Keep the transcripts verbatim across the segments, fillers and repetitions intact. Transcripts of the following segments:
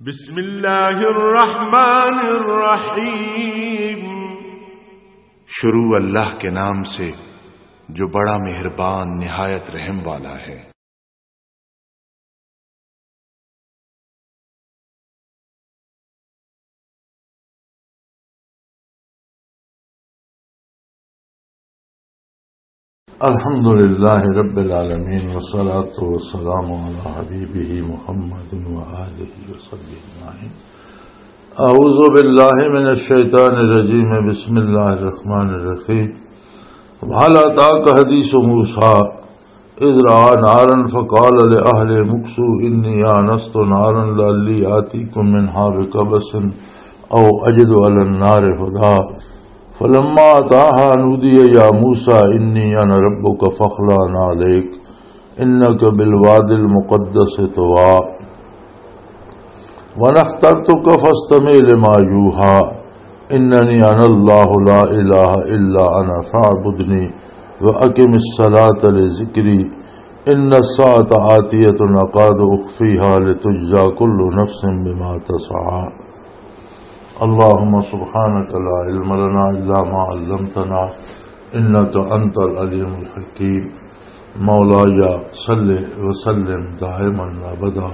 بسم اللہ الرحمن الرحیم۔ شروع اللہ کے نام سے جو بڑا مہربان نہایت رحم والا ہے۔ الحمد لله رب العالمين، والصلاة والسلام على حبيبه محمد وآله وصحبه أجمعين. أعوذ بالله من الشيطان الرجيم. بسم الله الرحمن الرحيم. وهل أتاك حديث موسى إذ رأى نارا فقال لأهله امكثوا إني آنست نارا لعلي آتيكم منها بقبس أو أجد على النار هدى. فلما أتاها نودي يا موسى إني أنا ربك فاخلع نعليك إنك بالواد المقدس طوى. وأنا اخترتك فاستمع لما يوحى إنني أنا الله لا إله إلا أنا فاعبدني وأقم الصلاة لذكري إن الساعة آتية أكاد أخفيها لتجزى كل نفس بما تسعى. اللهم سبحانك لا علم لنا إلا ما علمتنا إنك أنت العليم الحكيم. مولاي صل وسلم دائما أبدا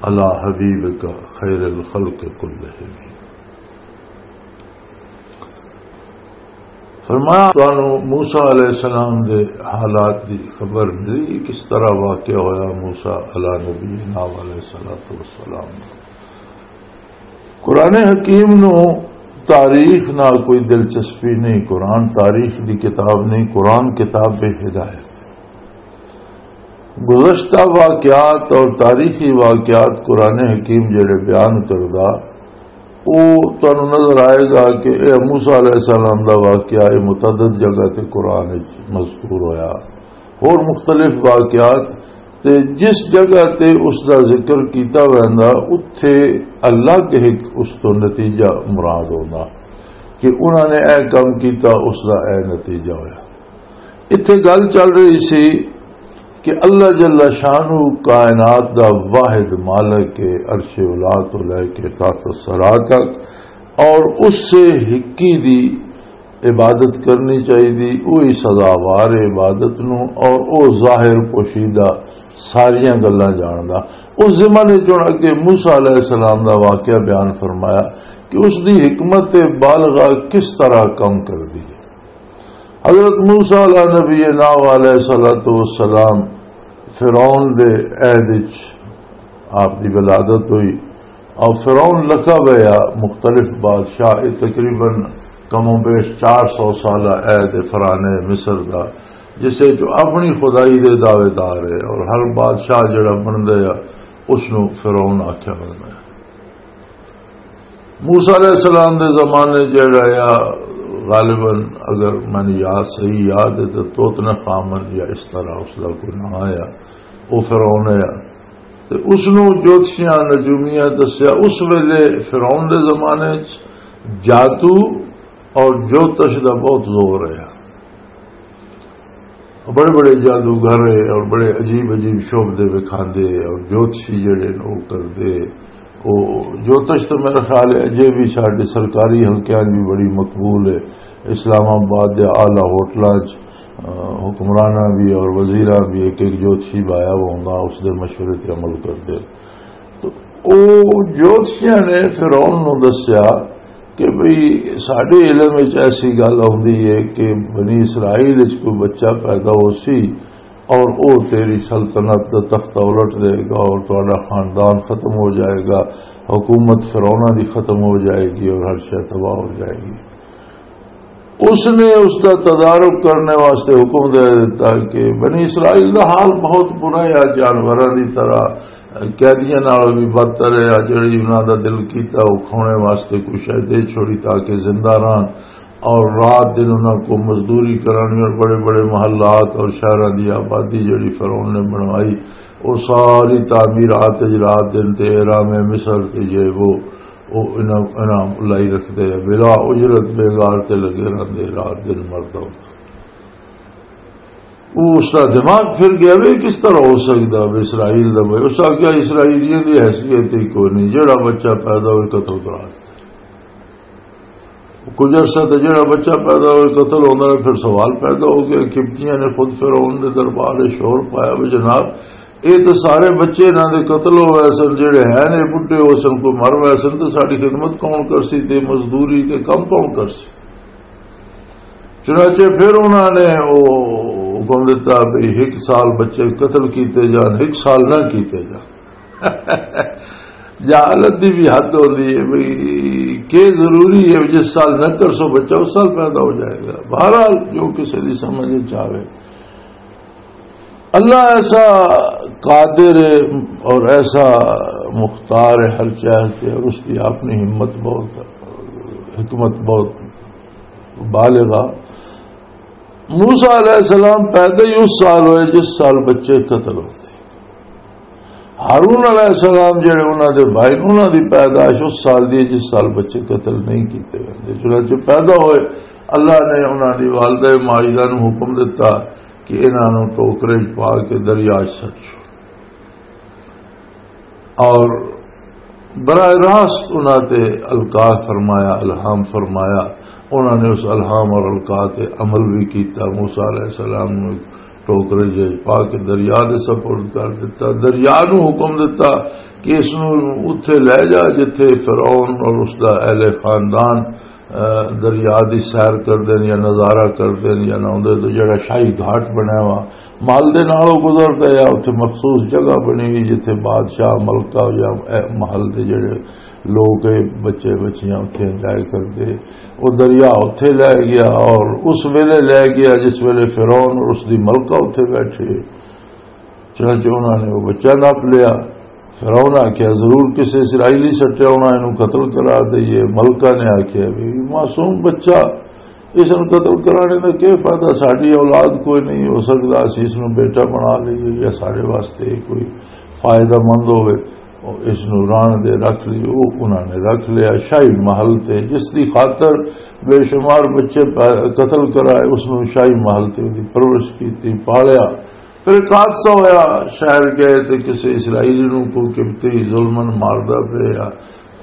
على حبيبك خير الخلق كلهم. فرمایا، تانوں موسیٰ علیہ السلام دے حالات دی خبر ملی، کس طرح واقعہ ہویا موسیٰ علیہ نبینا علیہ الصلوۃ والسلام۔ قرآن حکیم نو تاریخ نال کوئی دلچسپی نہیں، قرآن تاریخ دی کتاب نہیں، قرآن کتاب ہدایت۔ گزشتہ واقعات اور تاریخی واقعات قرآن حکیم جڑے بیان کردا، او تانوں نظر آئے گا کہ اے موسیٰ علیہ السلام دا واقعہ، اے متعدد جگہ تے قرآن وچ مذکور ہویا۔ ہور مختلف واقعات تے جس جگہ تے اس دا ذکر کیتا ویندا، اتھے الگ ایک اس تو نتیجہ مراد ہوندا کہ انہاں نے اے کام کیتا، اس دا اے نتیجہ ہویا۔ اتھے گل چل رہی سی کہ اللہ جل شانہ کائنات دا واحد مالک ہے، عرش اولا تو لے کے تحت الثری تک، اور اس سے ہکی دی عبادت کرنی چاہیے، وہی سزاوار ہے عبادت نو، اور او ظاہر پوشیدہ ساریاں گلاں جاندا۔ اس زمانے چوں اگے موسیٰ علیہ السلام دا واقعہ بیان فرمایا کہ اس دی حکمت بالغہ کس طرح کم کردی ہے۔ حضرت موسیٰ علیہ نبینا علیہ الصلوۃ والسلام فرعون دے عہد وچ آپ دی ولادت ہوئی، اور فرعون لقب ہے یا مختلف بادشاہ، یہ تقریباً کم و بیش چار سو سالہ عہد فرعون مصر دا، جسے جو اپنی خدائی دے دعوے دار ہے، اور ہر بادشاہ جڑا بندا ہے، اس نو فرعون آکھیا بندا ہے۔ موسیٰ علیہ السلام دے زمانے جڑا آ، غالباً اگر مینوں یاد، صحیح یاد ہے تو توتن خامن یا اس طرح اس دا کوئی نام آیا، او فرعون آیا۔ تے اس نو جوتشیاں نجومیاں دسیا۔ اس ویلے فرعون دے زمانے چ جادو اور جوتش دا بہت زور ہے۔ بڑے بڑے جادوگر ہے اور بڑے عجیب عجیب شعبدے وکھاندے اور جوتشی جڑے نے وہ کردے۔ وہ جوتش تو میرا خیال ہے اجے بھی ساڈے سرکاری حلقیاں بھی بڑی مقبول ہے۔ اسلام آباد دے اعلیٰ ہوٹلاں چ، آ، حکمراناں بھی اور وزیراں بھی ایک ایک جوتشی بایا ہوا ہوندا، اس دے مشورے تے عمل کردے۔ تو او جوتشیاں نے فرعون نو دسیا کہ بھئی، ساڈے علم وچ ایسی گل آوندی ہے کہ بنی اسرائیل وچ کوئی بچہ پیدا ہو سی اور او تیری سلطنت دا تختہ الٹ دے گا اور تہاڈا خاندان ختم ہو جائے گا، حکومت فرعوناں دی ختم ہو جائے گی اور ہر شے تباہ ہو جائے گی۔ اس نے اس دا تدارک کرنے واسطے حکم دے دیتا کہ بنی اسرائیل دا حال بہت برا ہے، جانوراں دی طرح قیدیاں نال بھی بدتر ہے، جڑی انہاں دا دل کیتا وہ کھونے واسطے کوئی شے دے چھوڑی تاکہ زندہ رہن، اور رات دن انہاں کو مزدوری کرانی، اور بڑے بڑے محلات اور شہراں دی آبادی جڑی فرعون نے بنوائی، وہ ساری تعمیرات وچ رات دن تے احرام مصر تے یہ وہ، وہ انہاں، انہاں لائی رکھدے، بلا اجرت بیگار تے لگے رہندے، رات دن مرد عورت۔ وہ اس کا دماغ پھر گیا، بھی کس طرح ہو سکتا بھی اسرائیل دا بھائی؟ اس آخیا، اسرائیلیاں دی حیثیت ہی کوئی نہیں، جڑا بچہ پیدا ہوئے قتل کرا دے۔ کچھ عرصہ تے جڑا بچہ پیدا ہوئے قتل ہوندا ہے، پھر سوال پیدا ہو گیا۔ قبطیاں نے خود فرعون دے دربار وچ شور پایا، بھی جناب، یہ تو سارے بچے انہاں دے قتل ہو گئے سن، جڑے ہیں نے بڈھے ہو سن، کوئی مر گئے سن، تو ساری خدمت کون کرسی تے مزدوری تے کم کون کرسی؟ چنانچہ پھر انہاں نے وہ حکم دتا بھی ایک سال بچے قتل کیتے جان، ایک سال نہ کیتے جان۔ جہالت دی بھی حد ہوندی ہے بھئی، کہ ضروری ہے جس سال نہ کرسو بچہ، اس سال پیدا ہو جائے گا۔ بہرحال، جو کسی دی سمجھ وچ آوے۔ اللہ ایسا قادر ہے اور ایسا مختار ہے ہر چیز کے، اور اس کی اپنی ہمت بہت، حکمت بہت بالغ۔ موسیٰ علیہ السلام پیدا ہی اس سال ہوئے جس سال بچے قتل ہوتے۔ ہارون علیہ السلام جڑے انہاں دے بھائی، انہاں دی پیدائش اس سال دی ہے جس سال بچے قتل نہیں کیتے ہوئے۔ چنانچہ پیدا ہوئے، اللہ نے انہاں دی والدہ ماجدہ نوں حکم دتا کہ انہاں نوں ٹوکرے وچ پا کے دریا وچ سٹ چھوڑ۔ اور براہ راست انہاں تے القا فرمایا، الہام فرمایا۔ انہاں نے اس الہام اور القا تے عمل بھی کیتا۔ موسیٰ علیہ السلام نوں ٹوکرے جے پا کے دریا دے سپرد کر دتا۔ دریا نوں حکم دتا کہ اس نوں اتھے لے جا جتھے فرعون اور اس دا اہل خاندان، اہ، دریا دی سیر کردے نے یا نظارہ کردے نے یا نہ اوندے تو جڑا شاہی گھاٹ بنیا وا محل دے نالوں گزردا ہے، اتھے مخصوص جگہ بنی ہوئی جتھے بادشاہ، ملکہ یا اے محل دے جڑے لوگ، اے بچے بچیاں اتھے انجوائے کردے۔ وہ دریا اتھے لے گیا اور اس ویلے لے گیا جس ویلے فرعون اور اس دی ملکہ اتھے بیٹھے۔ چنانچہ انہاں نے وہ بچہ نپ لیا۔ فرعون آکھیا، "ضرور کسے اسرائیلی سٹیا ہونا، اینوں قتل کرا دئیے۔" ملکہ نے آکھیا، "بھی معصوم بچہ، اس نوں قتل کرانے دا کیا فائدہ؟ ساڈی اولاد کوئی نہیں، ہو سکدا اسی اس نوں بیٹا بنا لئیے یا ساڈے واسطے کوئی فائدہ مند ہوئے، اور اس نوں رہن دے، رکھ لئیے۔" وہ انہاں نے رکھ لیا۔ شاہی محل تے جس دی خاطر بے شمار بچے پہ-، قتل کرائے، اس نوں شاہی محل تے دی پرورش کیتی، پالیا۔ پھر ایک حادثہ ہویا، شہر گئے تے کسے اسرائیلی نوں کوئی قبطی ظلمن ماردا پیا،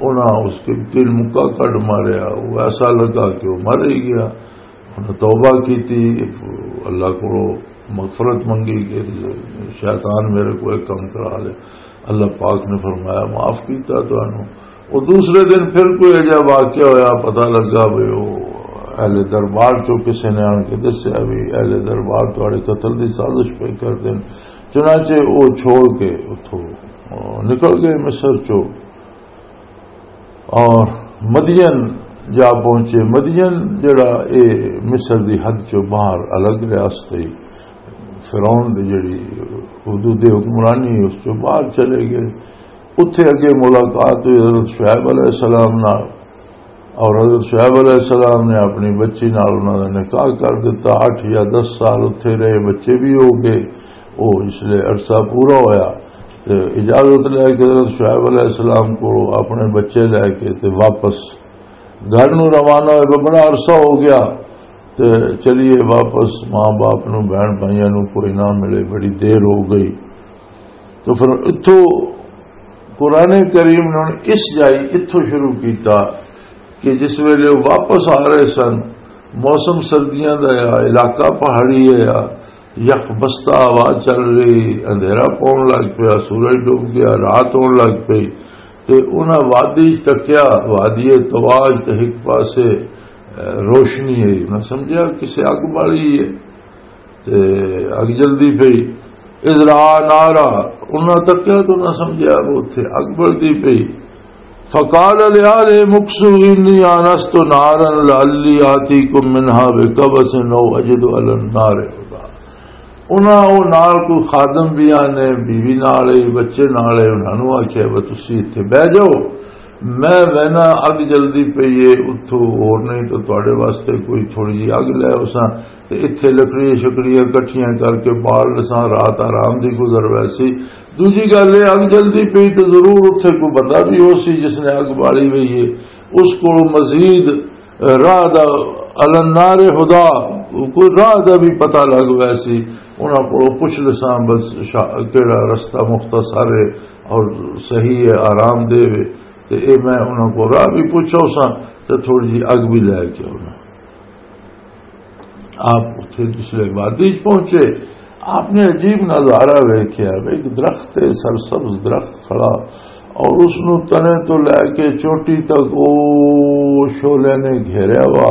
انہاں اس قبطی نوں مکا کڈ ماریا۔ وہ ایسا لگا کہ وہ مر ہی گیا۔ انہاں توبہ کیتی، اللہ کو مغفرت منگی کہ شیطان میرے کو ایک کم کرا دے۔ اللہ پاک نے فرمایا، "معاف کیتا تانوں۔" وہ دوسرے دن پھر کوئی اجہا واقعہ ہویا، پتہ لگا بھی وہ اہل دربار چوں کسے نے آن کے دسیا بھی اہل دربار تہاڈے قتل دی سازش پہ کر دین۔ چنانچہ وہ چھوڑ کے اتھوں، آ، نکل گئے مصر چوں اور مدین جا پہنچے۔ مدین جڑا اے مصر دی حد چوں باہر الگ ریاست ہے، فرعون دی جڑی حدود حکمرانی اس چوں باہر چلے گئے۔ اتھے اگے ملاقات ہوئی حضرت شعیب علیہ السلام نال، اور حضرت شعیب علیہ السلام نے اپنی بچی نال انہاں دا نکاح کر دتا۔ اٹھ یا دس سال اتھے رہے، بچے بھی ہو گئے۔ وہ اس لیے عرصہ پورا ہویا تے اجازت لے کے حضرت شعیب علیہ السلام کو اپنے بچے لے کے تے واپس گھر نو روانہ ہوئے۔ بڑا عرصہ ہو گیا تے چلیے واپس ماں باپ نو، بہن بھائیاں نو کوئی نہ ملے، بڑی دیر ہو گئی۔ تو پھر اتھوں قرآن کریم نے ہن اس جائی اتھوں شروع کیتا کہ جس ویلے وہ واپس آ رہے سن، موسم سردیاں دا آ، علاقہ پہاڑی ہے آ، یخ بستہ ہوا چل رہی، اندھیرا پون لگ پیا، سورج ڈوب گیا، رات ہون لگ پئی۔ تے انہاں وادی چ تکیا، وادی تواج تے ہک پاسے، اے، روشنی ہے۔ انہاں سمجھیا کسے اگ بالی ہے۔ تے اگ جلدی پئی۔ اذ رآ نارا، انہاں تکیا تو انہاں سمجھیا وہ اتھے اگ بلدی پئی۔ فقال لآلهم اكثوا إني آنست نارا لعلي آتيكم منها بقبس أو أجد على النار هدى۔ انہاں او نال کوئی خادم بھی آنے، بیوی نال ہے، بچے نال ہے، انہاں نوں آکھیا، "بس تسی اتھے بہ جاؤ، میں وینا اگ جلدی پئی ہے، اتھوں ہور نہیں تو تہاڈے واسطے کوئی تھوڑی جی اگ لے آؤساں۔" تے اتھے لکڑیاں شکڑیاں کٹھیاں کر کے بال لساں، رات آرام دی گزر ویسی۔ دوجی گل اے، اگ جلدی پئی تے ضرور اتھے کوئی بندہ بھی ہو سی جس نے اگ بالی ہوئی ہے، اس کول مزید راہ دا، علی النار ہدا، کوئی راہ دا بھی پتہ لگ ویسی، انہاں کولوں پوچھ لساں بس شا-، کیڑا رستہ مختصر ہے اور صحیح ہے، آرام دہ ہے، تے اے میں انہاں کو راہ بھی پوچھا اساں تے تھوڑی جی اگ بھی لے کے انہاں۔ آپ اتھے جس لے وادی چ پہنچے، آپ نے عجیب نظارہ ویکھیا، ایک درخت ہے، سرسبز درخت کھڑا، اور اس نو تنے تو لے کے چوٹی تک او شعلے نے گھیریا ہوا،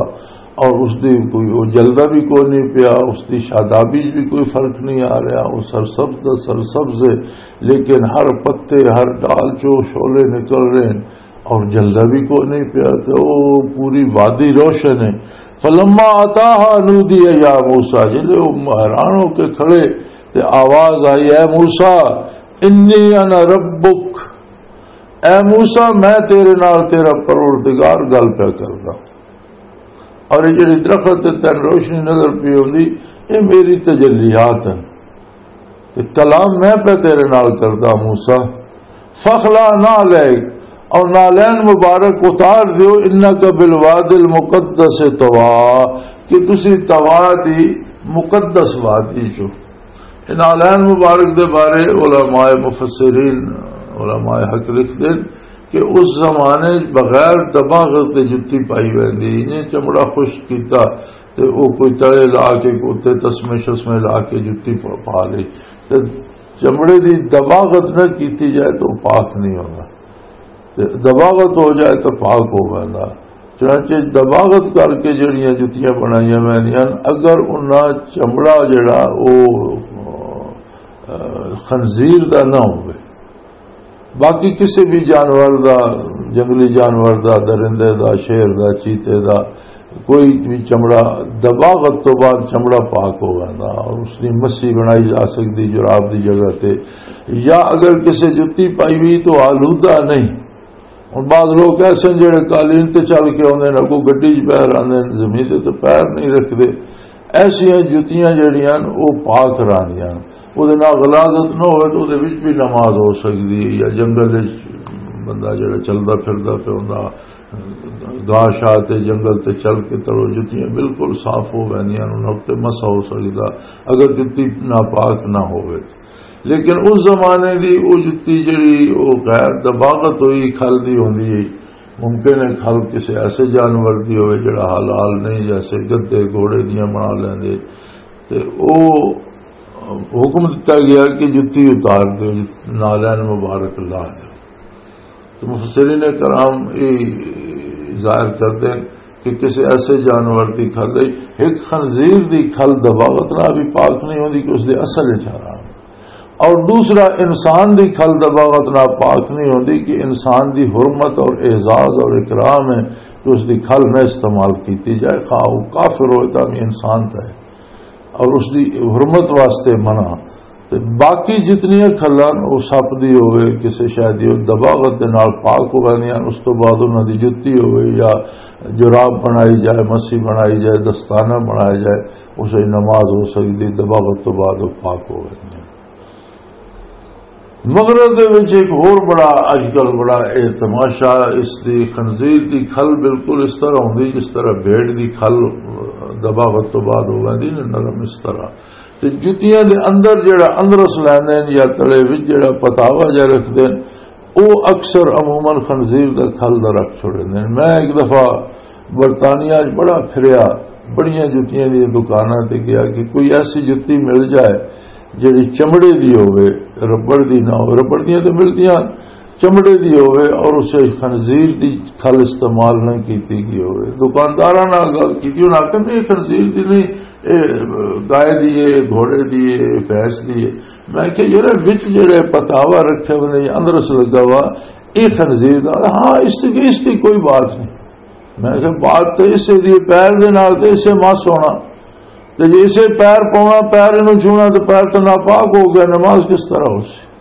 اور اس دی کوئی، وہ جلدا بھی کوئی نہیں پیا، اس دی شادابی چ بھی کوئی فرق نہیں آ رہا، وہ سرسبز دا سرسبز ہے، لیکن ہر پتے، ہر ڈال چو شعلے نکل رہے ہیں اور جلدا بھی کوئی نہیں پیا، تے وہ پوری وادی روشن ہے۔ فلما اتاها نودي يا موسى، جلے وہ حیران ہو کے کھڑے تے آواز آئی، اے موسیٰ، انی انا ربک، اے موسیٰ، میں تیرے نال تیرا پروردگار گل پیا کردا۔ اور یہ جڑی درخت تے تین روشنی نظر پی ہوندی، یہ میری تجلیات ہیں۔ تے کلام میں پہ تیرے نال کردا موسیٰ۔ فخلا نہ لے، اور نالین مبارک اتار دیو، انک بالواد المقدس طویٰ، کہ تسی طویٰ دی مقدس وادی چو۔ نالین مبارک دے بارے علماء مفسرین، علماء حق لکھ دین کہ اس زمانے بغیر دباغت دے جتی پائی ویندی، انہیں چمڑا خشک کیتا تے او کوئی تلے لا کے، کوتے تسمے شسمے لا کے جتی پا، پا لئی۔ تے چمڑے دی دباغت نہ کیتی جائے تو پاک نہیں ہونا، تے دباغت ہو جائے تو پاک ہو ویندا۔ چنانچہ دباغت کر کے جڑیاں جتیاں بنائیاں ویندیاں، اگر انہاں چمڑا جڑا او، آ، خنزیر دا نہ ہوئے، باقی کسی بھی جانور دا، جنگلی جانور دا، درندے دا، شیر دا، چیتے دا، کوئی بھی چمڑا دباغت تو بعد چمڑا پاک ہو ویندا اور اس دی مسی بنائی جا سکدی جراب دی جگہ تے، یا اگر کسی جتی پائی ہوئی تو آلودہ نہیں۔ ہن بعض لوگ ایسے ہیں جڑے قالین تے چل کے آندے نے، کوئی گڈی چ پیر آندے نے، زمین تے تو پیر نہیں رکھدے۔ ایسیاں جتیاں جڑیاں نے، او پاک رہندیاں نے۔ او دے نال غلاظت نہ ہوئے تو او دے وچ بھی نماز ہو سکدی ہے، یا جنگل وچ بندہ جڑا چلدا پھردا پیا ہوندا، گاہ شاہ تے جنگل تے چل کے تڑو جتیاں بالکل صاف ہو ویندیاں نے، انہاں تے مسح ہو سکدا اگر جتی ناپاک نہ ہوئے۔ لیکن اس زمانے دی او جتی جڑی او غیر دباغت ہوئی کھل دی ہوندی ہے، ممکن ہے کھل کسی ایسے جانور دی ہوئے جڑا حلال نہیں، جیسے گدھے گھوڑے دیاں بنا لیندے، تے او حکم دتا گیا کہ جتی اتار دے، نالین مبارک لا دے۔ تو مفسرین کرام یہ ظاہر کرتے ہیں کہ کسی ایسے جانور دی کھل ہے، ایک خنزیر دی کھل دباغت نہ بھی پاک نہیں ہوندی کہ اس دے اصل وچ حرام۔ اور دوسرا، انسان دی کھل دباغت نہ پاک نہیں ہوندی کہ انسان دی حرمت اور اعزاز اور اکرام ہے کہ اس دی کھل نہ استعمال کیتی جائے، خواہ وہ کافر ہوئے تاں بھی انسان تھا ہے۔ اور اس دی حرمت واسطے منع۔ تے باقی جتنیاں کھلاں، او سپ دی ہوئے، کسے شے دی ہوئے، دباغت دے نال پاک ہو ویندیاں، اس تو بعد انہاں دی جتی ہوئے یا جراب بنائی جائے، مسی بنائی جائے، دستانہ بنایا جائے، اسے نماز ہو سکدی، دباغت تو بعد او پاک ہو ویندیاں۔ مغرب دے وچ ایک ہور بڑا، اج کل بڑا اے تماشا، اس دی خنزیر دی کھل بالکل اس طرح ہوندی جس طرح بھیڑ دی کھل دباغت تو بعد ہو ویندی نا، نرم اس طرح۔ تے جتیاں دے اندر جڑا اندرس لیندے نے یا تلے وچ جڑا پتاوا جا رکھدے نے، او اکثر عموماً خنزیر دا کھل دا رکھ چھوڑے نے۔ میں ایک دفعہ برطانیہ وچ بڑا پھریا، بڑیاں جتیاں دی دکاناں تے گیا کہ کوئی ایسی جتی مل جائے جڑی چمڑے دی ہوے، ربڑ دی نہ ہوے۔ ربڑ دیاں تے ملدیاں، چمڑے دی ہوے اور اسے خنزیر دی کھل استعمال نہ کیتی گئی ہوے۔ دکانداراں نال گل کیتی، انہاں آکھیا، "نہیں، خنزیر دی نہیں، اے گائے دی ہے، گھوڑے دی ہے، بھینس دی ہے۔" میں کہ، "یار، وچ جڑے پتاوا رکھے ہوئے نے، اندرس لگا ہوا، اے خنزیر دا؟" "ہاں، اس کی، اس کی کوئی بات نہیں۔" میں کہ، "بات تے اسے دی پیر دے نال تے اسے مس ہونا، تے جے اسے پیر پاونا، پیر نوں چھونا تے پیر تے ناپاک ہو گیا، نماز کس طرح ہو سی؟"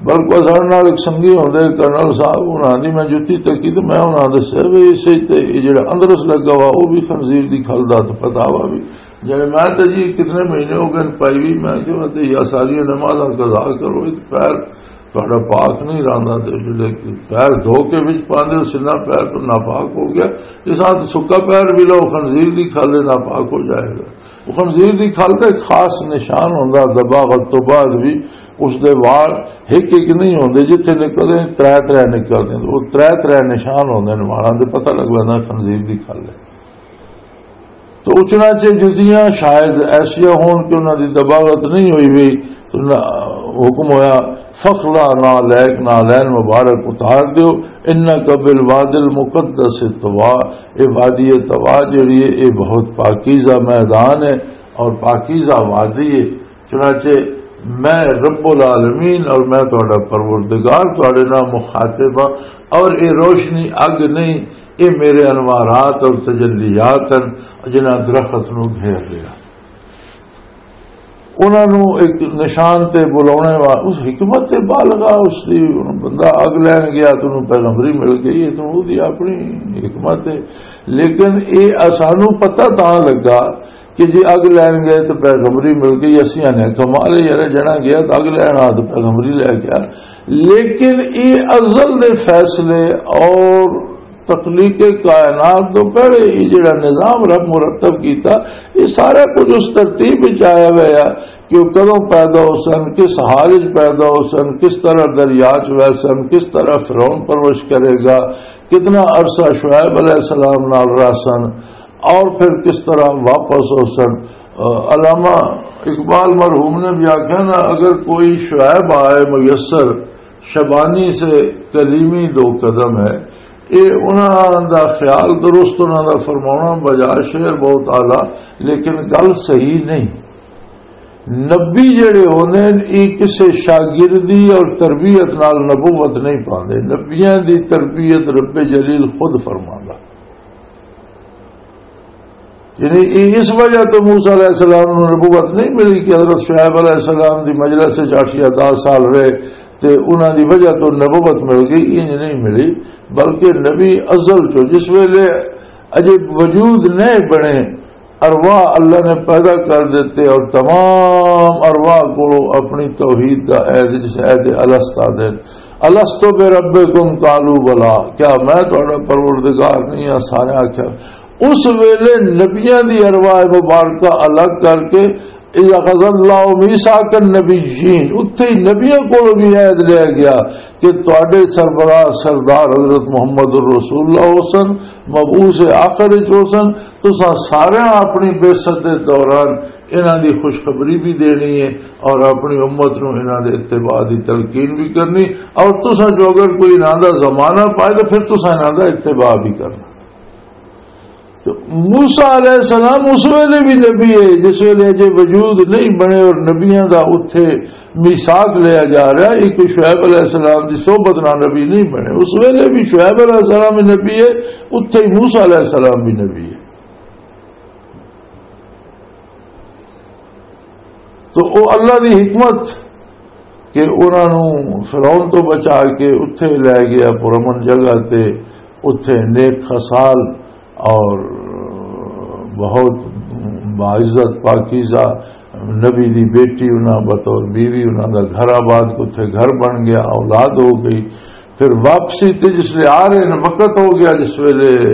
بلکہ ساڈے نال ایک سنگی ہوندے کرنل صاحب، انہاں دی میں جتی تکی تے میں انہاں دسیا بھی اسے تے یہ جڑا اندرس لگا ہوا، وہ بھی خنزیر دی کھل دا تے پتاوا بھی۔ یعنی میں تے جی کتنے مہینے ہو گئے پائی بھی، میں کہ میں تے یا ساری نمازاں قضا کرو، یہ تے پیر تہاڈا پاک نہیں رہندا۔ تے جڑے پیر دھو کے وچ پاندے ہو، سنہ پیر تو ناپاک ہو گیا۔ اس طرح سکا پیر بھی لو، خنزیر دی کھل ہے، ناپاک ہو جائے گا۔ وہ خنزیر دی کھل دا ایک خاص نشان ہوندا، دباغت تو بعد بھی اس دے وال ایک ایک نہیں ہوندے، جتھے نکلدے ترے ترے نکلدے، وہ ترے ترے نشان ہوندے نے والاں دے، پتہ لگ ویندا خنزیر دی کھل ہے۔ تو اچنا چے جتیاں شاید ایسیاں ہون کہ انہاں دی دباغت نہیں ہوئی ہوئی، تو نہ، حکم ہویا، "فخلع نعلیک، نعلین مبارک اتار دیو، انک بالواد المقدس طویٰ۔" اے وادی طویٰ جڑی ہے، اے بہت پاکیزہ میدان ہے اور پاکیزہ وادی ہے۔ چنانچہ میں رب العالمین اور میں تہاڈا پروردگار تہاڈے نال مخاطب ہاں، اور اے روشنی اگ نہیں، اے میرے انوارات اور تجلیات ہیں جنہاں درخت نو گھیر لیا۔ انہاں نو ایک نشان تے بلاونے وا-، اس حکمت بالغا اس دی، بندہ اگ لین گیا تو انہوں پیغمبری مل گئی ہے، تو وہ دی اپنی حکمت ہے۔ لیکن اے اسانو پتہ تاں لگا کہ جی اگ لین گئے تو پیغمبری مل گئی، اسی آنے کمال ہے یار، جنا گیا تو اگ لین آ تو پیغمبری لے گیا۔ لیکن اے ازل دے فیصلے اور تخلیق کائنات تو پہلے یہ جڑا نظام رب مرتب کیتا، یہ سارا کچھ اس ترتیب وچ آیا ہوا ہے کہ وہ کدوں پیدا ہو سن، کس حال وچ پیدا ہو سن، کس طرح دریا چ وہ سن، کس طرح فرعون پرورش کرے گا، کتنا عرصہ شعیب علیہ السلام نال رہ سن، اور پھر کس طرح واپس ہو سن۔ آ، علامہ اقبال مرحوم نے بھی آخیا نا، اگر کوئی شعیب آئے میسر، شبانی سے کلیمی دو قدم ہے۔ یہ انہاں دا خیال درست، انہاں دا فرمانا بجا شعر بہت اعلیٰ، لیکن گل صحیح نہیں۔ نبی جڑے ہوندے نے، یہ کسے شاگردی اور تربیت نال نبوت نہیں پاندے۔ نبیاں دی تربیت رب جلیل خود فرماندا۔ یعنی اے اس وجہ تو موسیٰ علیہ السلام نوں نبوت نہیں ملی کہ حضرت شعیب علیہ السلام دی مجلس وچ اٹھ یا دس سال رہے تے انہاں دی وجہ تو نبوت مل گئی، انج نہیں ملی، بلکہ نبی ازل چو جس ویلے اجے وجود نہیں بنے، ارواح اللہ نے پیدا کر دیتے اور تمام ارواح کو اپنی توحید دا عہد، جس عہد الست آدھے، "الست بربکم قالوا بلی"، کیا میں تہاڈا پروردگار نہیں ہاں؟ سارے آکھیا۔ اس ویلے نبیاں دی ارواح مبارکہ الگ کر کے، "اذ اخذ اللہ میثاق النبیین"، اتھے ہی نبیاں کولوں بھی عہد لیا گیا کہ تہاڈے سربراہ سردار حضرت محمد الرسول اللہ حسن، مبعوث آخر وچ حسن، تساں سارے اپنی بعثت دے دوران انہاں دی خوشخبری بھی دینی ہے اور اپنی امت نوں انہاں دے اتباع دی تلقین بھی کرنی، اور تساں جو اگر کوئی انہاں دا زمانہ پائے تو پھر تساں انہاں دا اتباع بھی کرنا۔ تو موسیٰ علیہ السلام اس ویلے بھی نبی ہے، جس ویلے اجے وجود نہیں بنے اور نبیاں دا اتھے میثاق لیا جا رہا ہے۔ ایک شعیب علیہ السلام دی صحبت نال نبی نہیں بنے، اس ویلے بھی شعیب علیہ السلام نبی ہے، اتھے ہی موسیٰ علیہ السلام بھی نبی ہے۔ تو او اللہ دی حکمت کہ انہاں نوں فرعون تو بچا کے اتھے لے گیا پرامن جگہ تے، اتھے نیک خصال اور بہت باعزت پاکیزہ نبی دی بیٹی انہاں بطور بیوی، انہاں دا گھر آباد، اتھے گھر بن گیا، اولاد ہو گئی۔ پھر واپسی تے جس لے آ رہے ہیں، وقت ہو گیا جس ویلے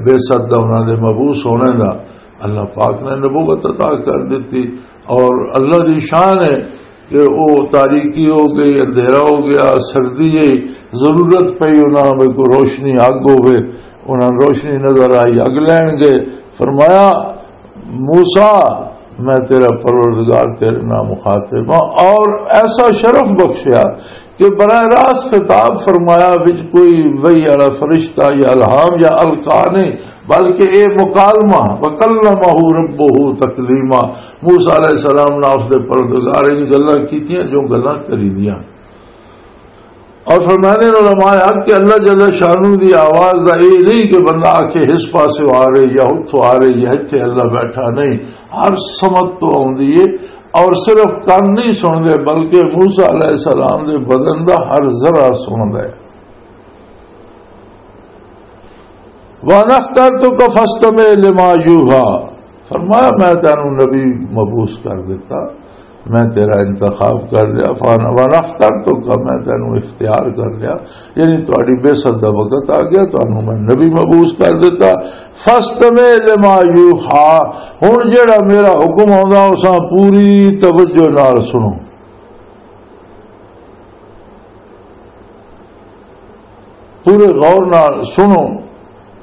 بعثت دا، انہاں دے مبعوث ہونے دا، اللہ پاک نے نبوت عطا کر دیتی۔ اور اللہ دی شان ہے کہ او تاریکی ہو گئی، اندھیرا ہو گیا، سردی ہے، ضرورت پئی انہاں میں کوئی روشنی، اگ ہوے، انہاں نوں روشنی نظر آئی، اگ لین گئے۔ فرمایا، "موسیٰ، میں تیرا پروردگار، تیرے نال مخاطب ہاں۔" اور ایسا شرف بخشیا کہ براہ راست خطاب فرمایا، وچ کوئی وحی والا فرشتہ یا الہام یا القا نہیں، بلکہ اے مکالمہ، "وکلمہ ربہ تکلیما"، موسیٰ علیہ السلام نال اس دے پروردگار نے گلاں کیتیاں جو گلاں کری دیاں۔ اور فرمانے علماء حق کہ اللہ جل شانہ دی آواز دا اے نہیں کہ بندہ آکھے اس پاسے آ رہی یا اتھوں آ رہی یا اتھے اللہ بیٹھا، نہیں، ہر سمت تو آندی ہے۔ اور صرف کان نہیں سن دے، بلکہ موسیٰ علیہ السلام دے بدن دا ہر ذرہ سن دے۔ "وَأَنَا اخْتَرْتُكَ فَاسْتَمِعْ لِمَا يُوحَىٰ"، فرمایا، "میں تینوں نبی مبعوث کر دیتا، میں تیرا انتخاب کر لیا، فانا وانا اخترتک، میں تینوں اختیار کر لیا، یعنی تہاڈی بعثت دا وقت آ گیا، تانوں میں نبی مبعوث کر دیتا۔ فاستمع لما یوحی، ہن جڑا میرا حکم آوندا، اساں پوری توجہ نال سنو، پورے غور نال سنو۔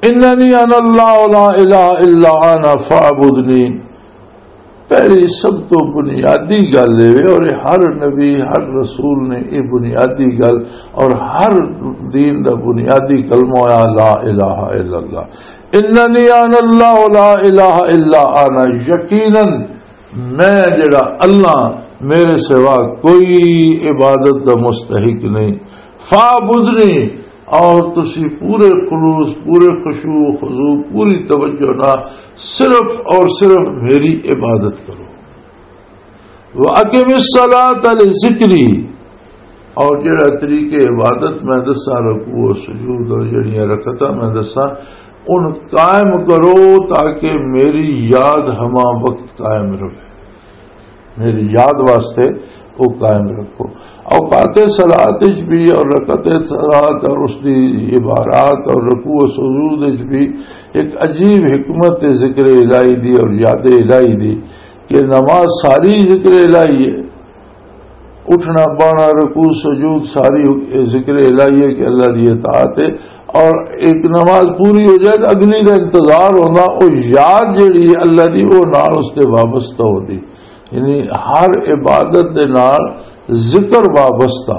اننی انا اللہ لا الہ الا انا فاعبدنی۔ پہلی سب تو بنیادی گل اے، اور یہ ہر نبی، ہر رسول نے یہ بنیادی گل، اور ہر دین دا بنیادی کلمہ ہویا لا الہ الا اللہ۔ اننی انا اللہ لا الہ الا انا، یقیناً میں جڑا اللہ، میرے سوا کوئی عبادت دا مستحق نہیں۔ فاعبدنی، اور تسی پورے خلوص، پورے خشوع و خضوع، پوری توجہ نال صرف اور صرف میری عبادت کرو۔ وَأَقِمِ الصَّلَاةَ لِذِكْرِي، اور جڑا طریقے عبادت میں دساں، رکوع و سجود اور جڑیاں رکعتاں میں دساں، ان قائم کرو تاکہ میری یاد ہما وقت قائم رہے۔ میری یاد واسطے وہ قائم رکھو۔ اوقات صلات وچ بھی اور رکعت صلات اور اس دی عبارات اور رکوع و سجود وچ بھی ایک عجیب حکمت ذکر الہی دی اور یاد الہی دی، کہ نماز ساری ذکر الہی ہے، اٹھنا بانا، رکوع سجود، ساری ذکر الہی ہے کہ اللہ دی اطاعت ہے۔ اور ایک نماز پوری ہو جائے تو اگلی دا انتظار ہونا، وہ یاد جڑی ہے اللہ دی، وہ نال اس تے وابستہ ہوندی۔ یعنی ہر عبادت دے نال ذکر وابستہ۔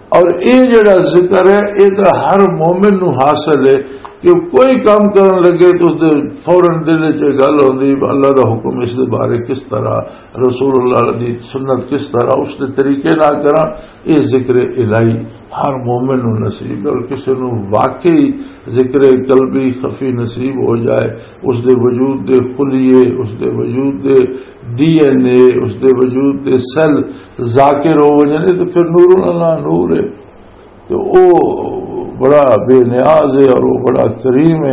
اور یہ جڑا ذکر ہے، یہ تو ہر مومن نو حاصل ہے کہ کوئی کام کرن لگے تو اس دے فوراً دل وچ یہ گل ہوندی، اللہ دا حکم اس دے بارے کس طرح، رسول اللہ دی سنت کس طرح، اس دے طریقے نال کراں۔ یہ ذکر الہی ہر مومن نو نصیب ہے، اور کسی نو واقعی ذکر قلبی خفی نصیب ہو جائے، اس دے وجود دے خلیے، اس دے وجود دے ڈی این اے، اس دے وجود دے سیل ذاکر ہو وجنے، تو پھر نور اللہ نور ہے۔ تو او بڑا بے نیاز ہے اور وہ بڑا کریم ہے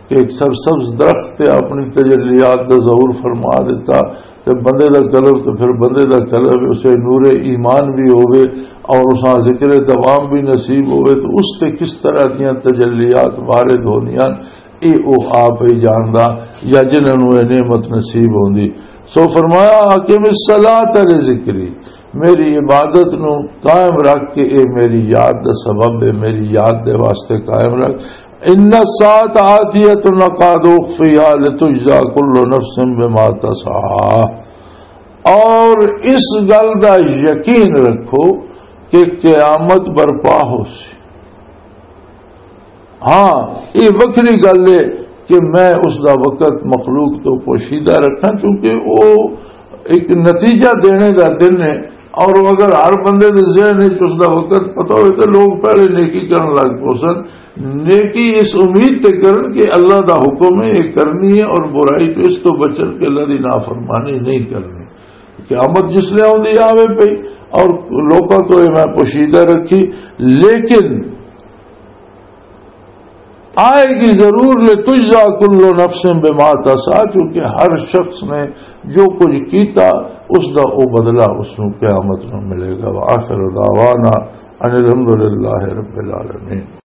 کہ ایک سرسبز درخت تے اپنی تجلیات دا ظہور فرما دیتا، تے بندے دا قلب تے پھر بندے دا قلب اسے نور ایمان بھی ہوے اور اساں ذکر دوام بھی نصیب ہوے، تو اس تے کس طرح دیاں تجلیات وارد ہوندیاں، اے او آپ ہی جاندا، یا جنہاں نوں اے نعمت نصیب ہوندی۔ سو فرمایا، "اقم الصلاۃ لذکری"، میری عبادت نو قائم رکھ کے، اے میری یاد دا سبب ہے، میری یاد دے واسطے قائم رکھ۔ "ان الساعۃ آتیۃ اکاد اخفیہا لتجزی کل نفس بما تسعی"، اور اس گل دا یقین رکھو کہ قیامت برپا ہو سی۔ ہاں، یہ وکری گل ہے کہ میں اس دا وقت مخلوق تو پوشیدہ رکھاں، کیونکہ وہ ایک نتیجہ دینے دا دن ہے۔ اور اگر ہر بندے دے ذہن وچ اس دا وقت پتہ ہوئے تو لوگ پہلے نیکی کرن لگ پوسن۔ نیکی اس امید تے کرن کہ اللہ دا حکم ہے، یہ کرنی ہے، اور برائی تو اس تو بچن کہ اللہ دی نافرمانی نہیں کرنی۔ قیامت جس لے آوندی آوے پئی، اور لوکاں تو یہ میں پوشیدہ رکھی، لیکن آئے گی ضرور، لتجزی کل نفس بما تسعی، کیونکہ ہر شخص نے جو کچھ کیتا، اس دا او بدلہ اس نوں قیامت میں ملے گا۔ وآخر دعوانا ان الحمد للہ رب العالمین۔